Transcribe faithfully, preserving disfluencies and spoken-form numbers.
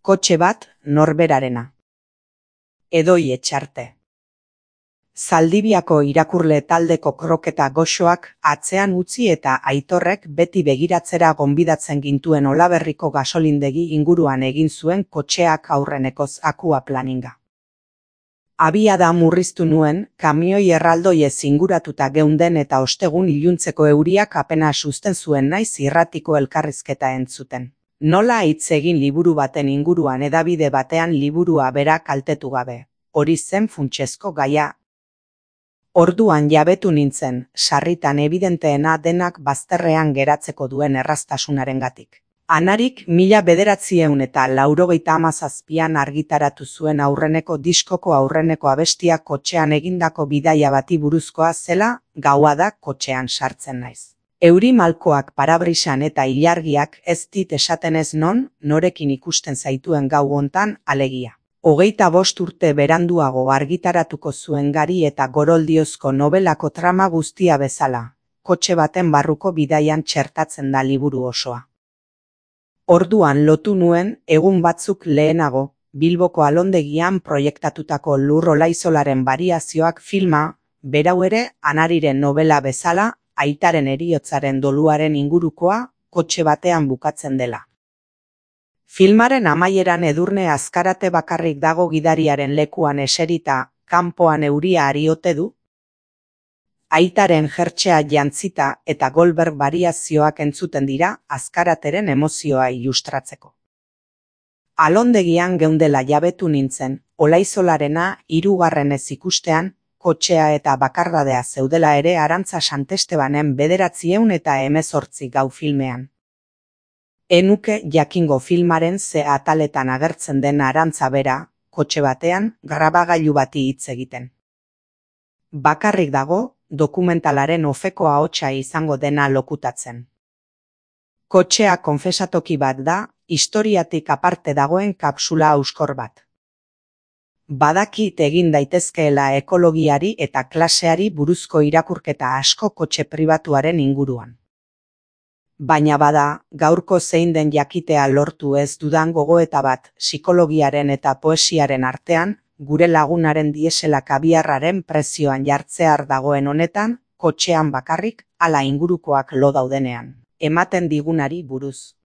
Kotxe bat norberarena. Edoi Etxarte. Zaldibiako irakurle taldeko kroketa goxoak atzean utzi eta Aitorrek beti begiratzera gonbidatzen gintuen Olaberriko gasolindegi inguruan egin zuen kotxeak aurrenekoz akua planinga. Abiada murriztu nuen, kamioi erraldoiez inguratuta geunden eta ostegun iluntzeko euriak apena susten zuen naiz irratiko elkarrizketa entzuten. Nola hitz egin liburu baten inguruan hedabide batean liburua bera kaltetu gabe. Hori zen funtsezko gaia. Orduan jabetu nintzen, sarritan evidenteena denak bazterrean geratzeko duen erraztasunarengatik. Anarik mila bederatziehun eta laurogeita hamazazpian argitaratu zuen aurreneko diskoko aurreneko abestia kotxean egindako bidaia bati buruzkoa zela, gaua da kotxean sartzen naiz. Euri malkoak parabrisan eta ilargiak ez dit esaten ez non, norekin ikusten zaituen gau hontan alegia. Hogeita bost urte beranduago argitaratuko zuen Gari eta Goroldiozko nobelako trama guztia bezala, kotxe baten barruko bidaian txertatzen da liburu osoa. Orduan lotu nuen, egun batzuk lehenago, Bilboko Alondegian proiektatutako Lur Olaizolaren bariazioak filma, berau ere Anariren nobela bezala, aitaren heriotzaren doluaren ingurukoa, kotxe batean bukatzen dela. Filmaren amaieran Edurne Azkarate bakarrik dago gidariaren lekuan eserita, kanpoan euria ari ote du. Aitaren jertxea jantzita eta Goldberg bariazioak entzuten dira Azkarateren emozioa ilustratzeko. Alondegian geundela jabetu nintzen, Olaizolarena hirugarrenez ikustean, kotxea eta bakardadea zeudela ere Arantza Santestebanen bederatzieun eta hemezortzi gau filmean. Enuke jakingo filmaren ze ataletan agertzen den Arantza bera, kotxe batean, grabagailu bati hitz egiten. Bakarrik dago, dokumentalaren ofeko ahotsa izango dena lokutatzen. Kotxea konfesatoki bat da, historiatik aparte dagoen kapsula auskor bat. Badakit egin daitezkeela ekologiari eta klaseari buruzko irakurketa asko kotxe pribatuaren inguruan. Baina bada, gaurko zein den jakitea lortu ez dudan gogoeta bat psikologiaren eta poesiaren artean, gure lagunaren dieselak abiarraren prezioan jartzear dagoen honetan, kotxean bakarrik, ala ingurukoak lo daudenean, ematen digunari buruz.